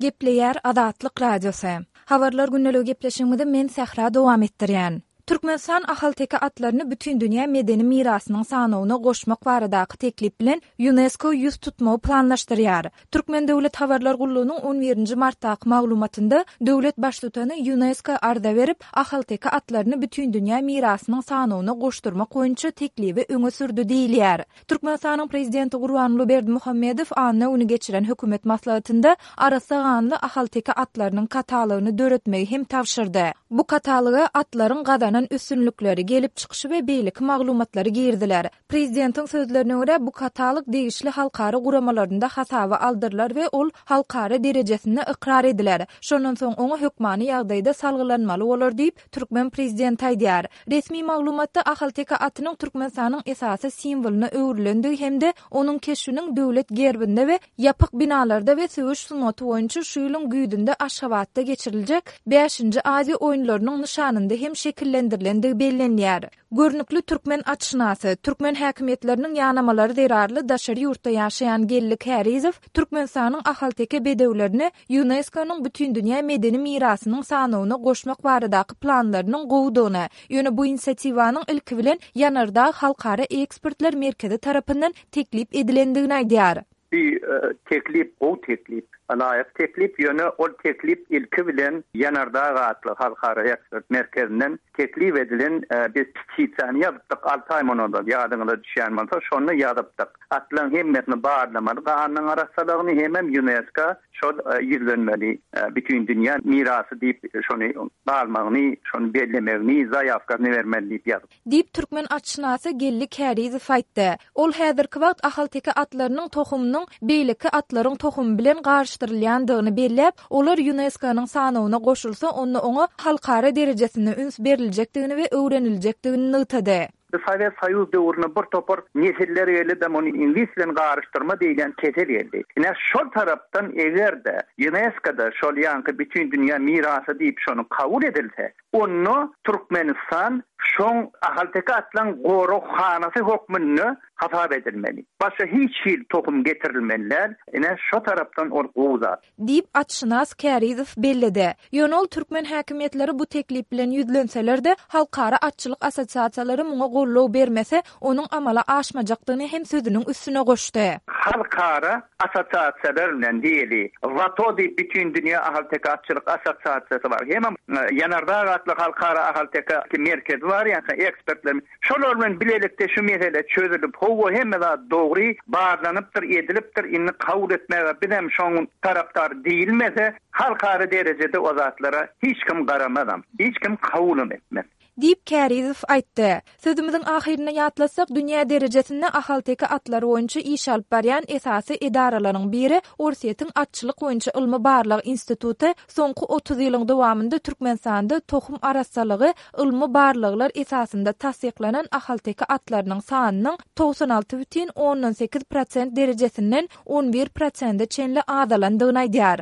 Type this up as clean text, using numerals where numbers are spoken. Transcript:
Gepleýär Azatlyk Radiosy. Habarlar gündeligi gepleşigimizi men Sähra dowam etdirýän. Türkmenistan ahalteke atlaryny Bütindünýä medeni mirasynyň sanawyna goşmak baradaky teklip bilen Ýunesko ýüz tutmagy planlaşdyrýar. Türkmen döwlet habarlar gullugynyň on birinji martdaky maglumatynda döwlet Baştutany Ýunesko arza berip, ahalteke atlaryny Bütindünýä mirasynyň sanawyna goşdurmak boýunça teklibi öňe sürdi diýilýär. Türkmenistanyň Prezidenti Gurbanguly Berdimuhamedow anna güni geçiren hökümet maslahatynda arassa ganly ahalteke atlarynyň katalogyny döretmegi hem tabşyrdy. Bu kataloga atlaryň gazanan üstünlikleri, gelip çykyşy we beýleki maglumatlary giriziler. Prezidentiň sözlerine görä, bu katalog degişli halkara guramalarynda hasaba aldyrylar we ol halkara derejesinde ykrar ediler. Şondan soň oňa hökmany ýagdaýda salgylanmaly bolar diýip, türkmen prezidenti aýdýar. Resmi maglumatda ahalteke atynyň Türkmenistanyň esasy simwolyna öwrülendigi hem-de onuň keşbiniň döwlet gerbinde we ýapyk binalarda we söweş sungaty boýunça şu ýylyň güýzünde Aşgabatda geçiriljek Bäşinji Aziýa oýunlarynyň nyşanynda hem şekillendirilendigi bellenýär. Görnükli türkmen atşynasy, türkmen häkimiýetleriniň ýanamalary zerarly daşary ýurtda ýaşaýan Geldi Kärizow Türkmenistanyň ahalteke bedewlerini Ýunesko-nyň Bütindünýä medeni mirasynyň sanawyna goşmak baradaky planlarynyň gowudygyny, ýöne bu inisiatiwanyň ilki bilen Ýanardag halkara ekspertler merkezi tarapyndan teklip edilendigini aýdýar. Bu teklip gowy teklip, laýyk teklip, ýöne ol teklip ilki bilen Ýanardag atly halkara ekspert merkezinden teklip edilen, biz petisiýany ýazypdyk alty aý mundan ozal, ýadyňyza düşýän bolsa, şonda ýazypdyk. Atlaryň hemmesini barlamaly, ganynyň arassalygyny hemem Ýunesko şol ýüzlenmeli, Bütindünýä mirasy diýip şony galmagyny, şony bellemegini, zaýawkasyny bermeli diýip ýazypdyk. Diýip, türkmen atşynasy Geldi Kärizow aýtdy. Ol häzirki wagt ahalteke atlarynyň tohumynyň beýleki atlaryň tohumy bilen garyşdyrylýandygyny belläp, olar Ýunesko-nyň sanawyna goşulsa, onda oňa halkara derejesinde üns beriljekdigini we öwreniljekdigini nygtady. Bu Sowet Soýuz döwründe bir topar nesiller geldi-de, muny iňlis bilen garyşdyrma diýlen kesel geldi. Ine, şol tarapdan eger-de Ýunesko-da şol ýaňky Bütindünýä mirasy diýip şony kabul edilse, Onda Türkmenistan şoň ahalteke atlaň goraghanasy hökmünde hasap edilmeli. Başga hiç hili tohum getirilmeli däl. Ine, şo tarapdan ol gowy zat. Diýip, atşynas Kärizow belledi. Ýöne ol türkmen häkimiýetleri bu teklip bilen ýüzlenseler-de, halkara atçylyk assosiasiýalary muňa goldaw bermese, onuň amala aşmajakdygyny hem sözüniň üstüne goşdy. Halkara assosiasiýalar bilen diýeli, WATO diýip Bütindünýä ahalteke atçylyk assosiasiýasy bar, hemem Ýanardag atly halkara ahalteke merkezi bar, ýa-da ekspertler, şolar bilen bilelikde şu mesele çözülip, hawa hemme zat dogry, barlanypdyr, edilipdir, indi kabul etmäge bizem şoň tarapdary diýilmese, halkara derejede o zatlara hiç kim garamazam, hiç kim kabulam etmez. Diýip, Kärizow aýtdy. Sözümiziň ahyrynda ýatlatsak, dünýä derejesinde ahalteke atlary boýunça iş alyp barýan esasy edaralaryň biri Orsýetiň Atçylyk boýunça ylmy-barlag instituty soňky 30 ýylyň dowamynda Türkmenistanda tohum arassalygy ylmy barlaglar esasynda tassyklanan ahalteke atlarynyň sanynyň 96 bütin ondan sekiz prosent derejesinden 11 prosente çenli azalandygyny aýdýar.